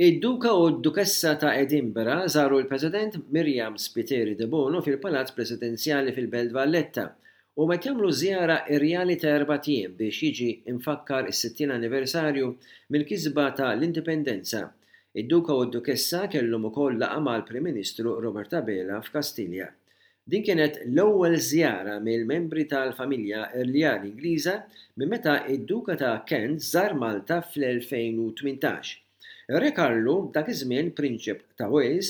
Id-Duka u d-Dukessa ta' Edinburgh żaru l-President Myriam Spiteri Debono fil-Palazz Presidenzjali fil-Belt Valletta. Huma qed jagħmlu żjara irjali ta' erbat ijiem biex jiġi mfakkar is-60 anniversarju mill-kisba ta' l-Indipendenza. Id-Duka u d-Dukessa kellhom ukoll laqgħa mal-Prim Ministru Robert Abela f'Kastilja. Din kienet l-ewwel żjara mill-membri tal-familja rjali Ingliża minn meta d-Duka ta' Kent żar Malta fl-2018. Ir-Re Karlu, dak iż-żmien Prinċep ta' Wales,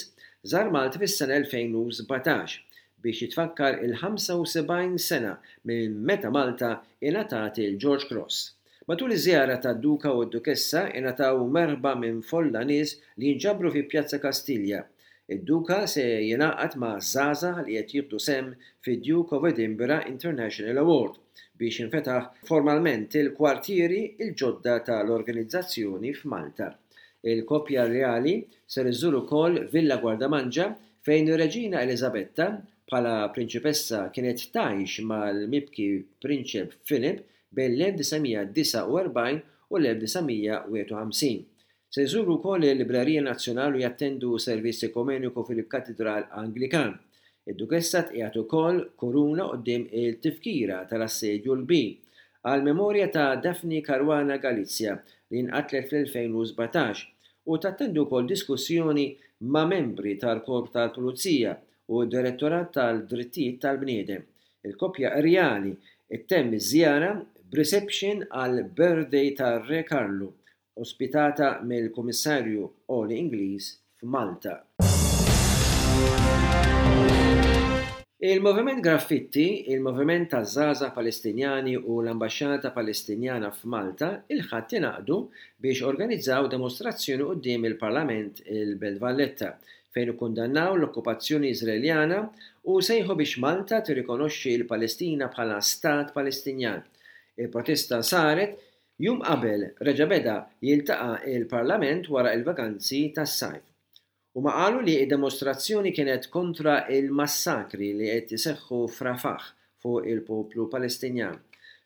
żar Malta fis-sena 2017 biex jitfakkar il-75 sena minn meta Malta ingħatat il-George Cross. Matul iż-żjara tad-Duka u d-Dukessa ingħataw merħba minn folla nies li nġabru fi Pjazza Kastilja. Id-Duka se jingħaqad ma' żgħażagħ li qed jieħdu sehem fid-Duke of Edinburgh International Award biex jinfetaħ formalment il-kwartieri l-ġodda tal-organizzazzjoni f'Malta. Il-koppja rjali ser iżżur ukoll Villa Gwardamanġa fejn ir-Reġina Eliżabetta bħala prinċipessa kienet tgħix mal-mibki Prinċep Philip bejn l-1949 u l-1951. Se jżuru wkoll il-Librerija Nazzjonali u jattendu servizz ekumeniku fil-Katidral Anglikan. Id-Dukessa tqiegħed ukoll kuruna quddiem il-tifkira tal-Assedju l-Kbir, għall-memorja ta' Daphne Caruana Galizia li nqatlet fl-2017, u tattendi wkoll diskussjoni ma' membri tal-Korp tal-Pulizija u d-Direttorat tal-Drittijiet tal-Bniedem. Il-koppja rjali ttemm iż-żjara b'reception għall-birthday tar-Re Karlu, ospitata mill-Kummissarju Għoli Ingliż f'Malta. Il-Moviment Graffitti, il-Moviment taż-Żgħażagħ Palestinjani u l-Ambaxxata Palestinjana f'Malta il-Ħadd ingħaqdu biex organizzaw demostrazzjoni quddiem il-Parlament il-Belt Valletta fejn ikkundannaw l-okkupazzjoni Iżraeljana u sejħu biex Malta tirrikonoxxi l-Palestina bħala stat Palestinjan. Il-protesta saret jum qabel reġa' beda jiltaqa' l-Parlament wara l-vaganzi tas-sajf. Huma qalu li d-demostrazzjoni kienet kontra l-massakri li qed iseħħu f'Rafah fuq il-poplu Palestinjan.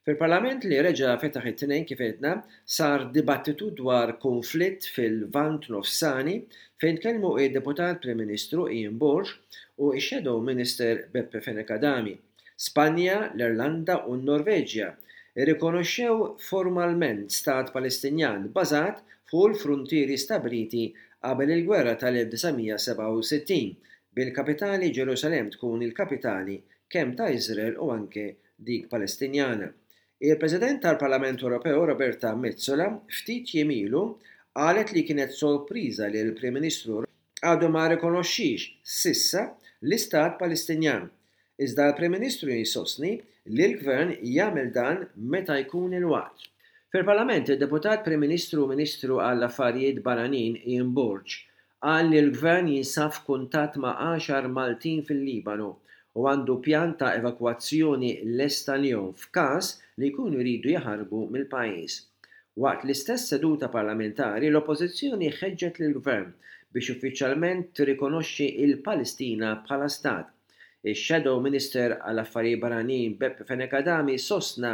Fil-Parlament li reġa' fetaħ it-Tnejn kif għedna, sar dibattitu dwar kunflitt fil-Lvant Nofsani fejn tkellmu d-Deputat Prim Ministru Ian Borg u x-Shadow Minister Beppe Fenech Adami. Spanja, l-Irlanda u n-Norveġja rrikonoxxew formalment stat Palestinjan bbażat fuq il-fruntieri stabbiliti qabel il-gwerra tal-1967, bil-kapitali Ġerusalemm tkun il-kapitali kemm ta' Iżrael u anke dik Palestinjana. Il-President tal-Parlament Ewropew Roberta Metsola ftit jiem ilu qalet li kienet sorpriża li l-Prim Ministru għadu ma rrikonoxxiex s'issa l-Istat Palestinjan. Iżda l-Prim Ministru jsostni li l-Gvern jagħmel dan meta jkun il-waqt. Fil-Parlament, id-Deputat Prim Ministru u Ministru għall-Affarijiet Barranin Ian Borg Qal li l-Gvern jinsab f'kuntatt ma' għaxar Maltin fil-Libanu u għandu pjan ta' evakwazzjoni lest għalihom f'każ li jkunu jridu jaħarbu mill-pajjiż. Waqt l-istess seduta parlamentari l-Oppożizzjoni ħeġġet lill-Gvern biex uffiċjalment tirrikonoxxi l-Palestina bħala stat. Ix-Shadow Minister għall-Affarijiet Barranin Beppe Fenech Adami sostna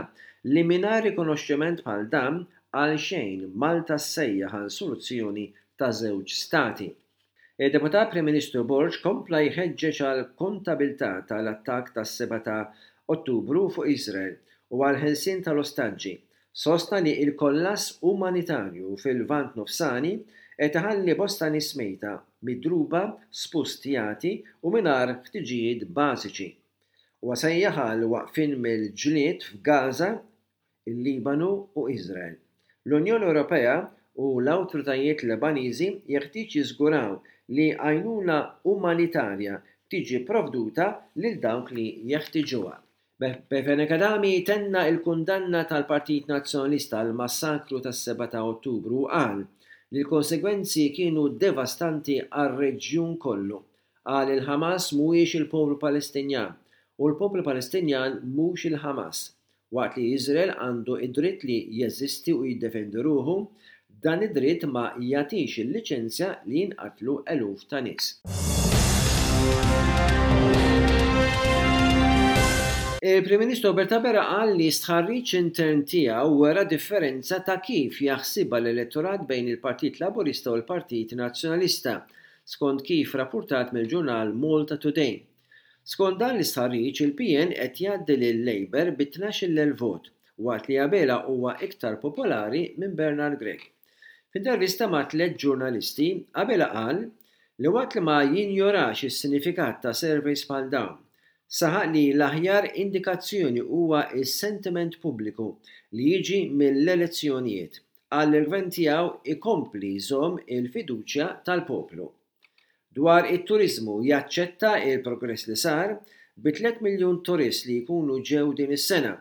li mingħajr rikonoxximent bħal dan għalxejn Malta ssejjaħ għal soluzzjoni ta' żewġ stati. Id-Deputat Prim Ministru Borg kompla jħeġġeġ għal kontabilità tal-attakk tas-7 ta' Ottubru fuq Iżrael u għall-ħelsien tal-ostaġġi. Sostna li l-kollass umanitarju fil-Lvant Nofsani qed iħalli bosta nies mejta, midruba, spustjati u mingħajr ħtiġijiet bażiċi. Huwa sejjaħ għal waqfien mill-ġlied f'Gaza il-Libanu u Iżrael. L-Unjoni Ewropea u l-awtoritajiet Lebaniżi jeħtieġ jiżguraw li għajnuna umanitarja tiġi pprovduta lil dawk li jeħtiġuha. Beppe Fenech Adami tenna l-kundanna tal-Partit Nazzjonalista għall-massakru tas-7 ta' Ottubru u qal li l-konsegwenzi kienu devastanti għar-reġjun kollu. Qal li l-Ħamas mhuwiex il-poplu Palestinjan u l-poplu Palestinjan mhux il-Ħamas. Waqt li Iżrael għandu d-dritt li jeżisti u jiddefendi ruħu, dan id-dritt ma jagħtix il-liċenzja li jinqatlu eluf ta' nies. Il-Prim Ministru Robert Abela qal li stħarriġ intern tiegħu wera differenza ta' kif jaħsibha l-elettorat bejn il-Partit Laburista u l-Partit Nazzjonalista, skont kif rappurtat mill-ġurnal Malta Today. Skont dan l-istħarriġ, il-PN qed jgħaddi lil-Labour bi 12,000 vot, waqt li Abela huwa iktar popolari minn Bernard Grech. F'intervista ma' tlett ġurnalisti, Abela qal li waqt li ma jinjorax is-sinifikat ta' surveys bħal dawn, Saħaq li l-aħjar indikazzjoni huwa s-sentiment pubbliku li jiġi mill-elezzjonijiet. Qal li l-Gvern tiegħu jkompli jżomm il-fiduċja tal-poplu. Dwar it-turiżmu jaċċetta l-progress li sar, bi tlett miljun turist li jkunu ġew din is-sena,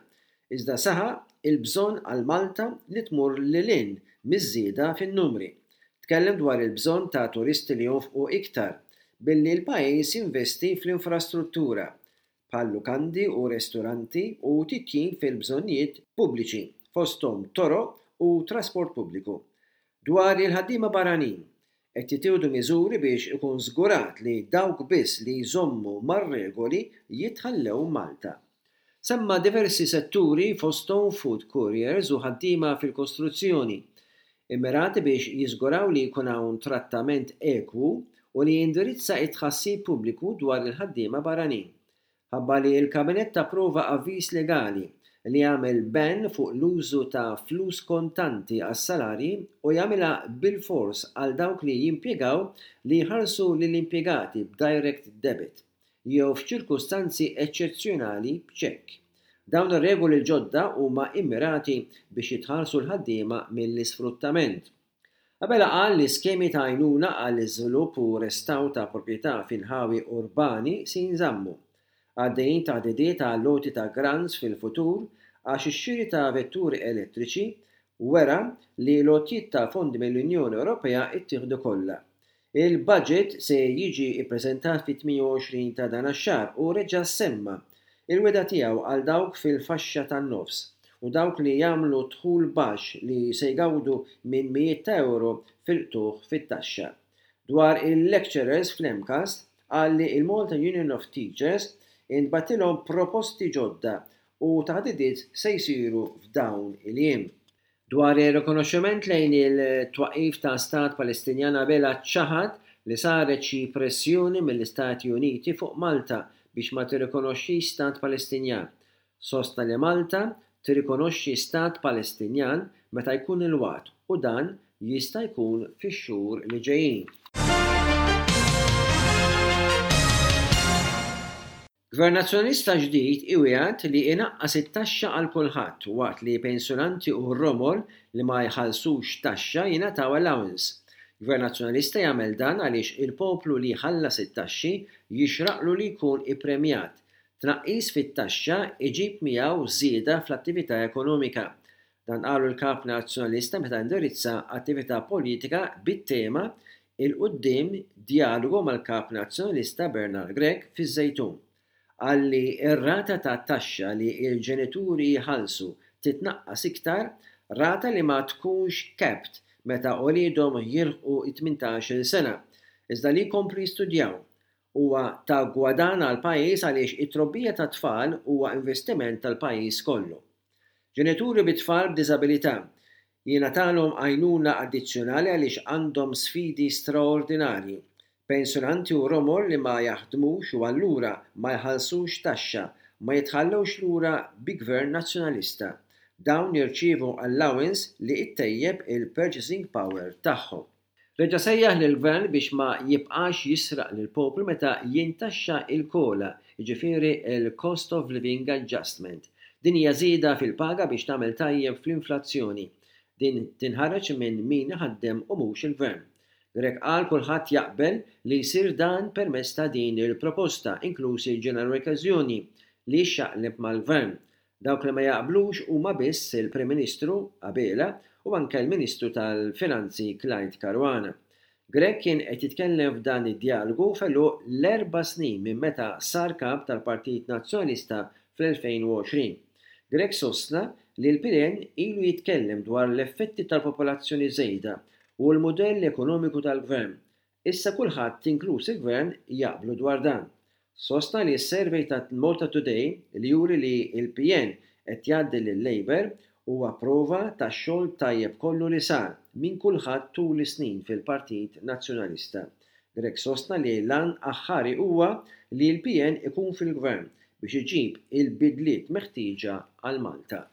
Iżda saħaq il-bżonn għal Malta li tmur lil hinn miż-żieda fin-numri. Tkellem dwar il-bżonn ta' turisti li jonfqu iktar, billi l-pajjiż jinvesti fl-infrastruttura, bħal lukandi u resturanti u titjib fil-bżonnijiet pubbliċi, fosthom toroq u trasport pubbliku. Dwar il-ħaddiema barranin, qed jittieħdu miżuri biex ikun żgurat li dawk biss li jżommu mar-regoli jitħallew Malta. Semma diversi setturi fosthom food couriers u ħaddiema fil-kostruzzjoni, immirati biex jiżguraw li jkun hawn trattament ekwu u li jindirizza t-tħassib pubbliku dwar il-ħaddiema barranin. Ħabbar li l-Kabinett approva avviż legali li jagħmel ban fuq l-użu ta' flus kontanti għas-salarji u jagħmilha bilfors għal dawk li jimpjegaw li jħallsu lill-impjegati b'direct debit. jew f'ċirkustanzi eċċezzjonali b'ċekk. Dawn ir-regoli l-ġodda huma immirati biex jitħarsu l-ħaddiema mill-isfruttament. Abela qal li skemi ta' għajnuna għall-iżvilupp u restawr ta' proprjetà f'inħawi urbani se jinżammu. Għaddejjin taħdidiet għall-għoti ta' grants fil-futur għax ix-xiri ta' vetturi elettriċi wera li l-għotjiet ta' fondi mill-Unjoni Ewropea ttieħdu kollha. Il-budget se jiġi ppreżentat fit-28 ta' dan ax-xahar u reġa' semma l-wegħda tiegħu għal dawk fil-faxxa tan-nofs u dawk li jagħmlu dħul baxx li se jgawdu minn mijiet ta' ewro fil-qtugħ fit-taxxa. Dwar il-lecturers fl-MCAST qal li l-Malta Union of Teachers intbagħtilhom proposti ġodda u taħdidiet se jsiru f'dawn il-jiem. Dwar ir-rikonoxximent lejn il-twaqqif ta' Stat Palestinjan Abela ċaħad li saret xi pressjoni mill-Istati Uniti fuq Malta biex ma tirrikonoxxix Stat Palestinjan. Sostna li Malta tirrikonoxxi Stat Palestinjan meta jkun il-waqt u dan jista' jkun fix-xhur li ġejjin. Gvern Nazzjonalista ġdid iwiegħed li inaqqas it-taxxa għal kulħadd waqt li pensjonanti u romol li ma jħallsux taxxa jingħataw allowance. Gvern Nazzjonalista jagħmel dan għaliex il-poplu li jħallas it-taxxi jixraqlu li jkun ippremjat. Tnaqqis fit-taxxa iġib miegħu żieda fl-attività ekonomika. Dan qalu l-Kap Nazzjonalista meta indirizza attività politika bit-tema 'Il Quddiem, Djalogu mal-Kap Nazzjonalista Bernard Grech fiż-Żejtun. Qal li r-rata ta' taxxa li l-ġenituri jħallsu titnaqqas iktar, rata li ma tkunx capped meta uliedhom jilħqu t-tmintax-il sena, iżda li jkomplu jistudjaw. Huwa ta' gwadann għall-pajjiż għaliex it-trobbija tat-tfal huwa investiment tal-pajjiż kollu. Ġenituri bi tfal b'diżabilità jingħatalhom għajnuna addizzjonali għaliex għandhom sfidi straordinarji. Pensjonanti u romol li ma jaħdmux u allura ma jħallsux taxxa ma jitħallewx lura bi Gvern Nazzjonalista. Dawn jirċievu allowance li ttejjeb il-purchasing power tagħhom. Reġa' sejjaħ lill-Gvern biex ma jibqax jisraq lill-poplu meta jintaxxa l-COLA, jiġifieri l-Cost of Living Adjustment. Din hija żieda fil-paga biex tagħmel tajjeb fl-inflazzjoni. Din tinħareġ minn min iħaddem u mhux il-Gvern. Grech qal kulħadd jaqbel li jsir dan permezz ta' din il-proposta, inkluż il-General Workers Union li xxaqleb mal-Gvern. Dawk li ma jaqblux huma biss il-Prim Ministru Abela u anke l-Ministru tal-Finanzi Clyde Caruana. Grech kien qed jitkellem f'dan id-djalogu f'għeluq l-erba' snin minn meta sar Kap tal-Partit Nazzjonalista fl-2020. Grech sostna li l-PN ilu jitkellem dwar l-effetti tal-popolazzjoni żejda u l-mudell ekonomiku tal-Gvern. Issa kulħadd inkluż il-Gvern jaqblu dwar dan. Sostna li s-survey ta' Malta Today li juri li l-PN qed jgħaddi lil-Labour huwa prova tax-xogħol tajjeb kollu li sar minn kulħadd tul is-snin fil-Partit Nazzjonalista. Grech sostna li l-għan aħħari huwa li l-PN ikun fil-Gvern biex iġib il-bidliet meħtieġa għal Malta.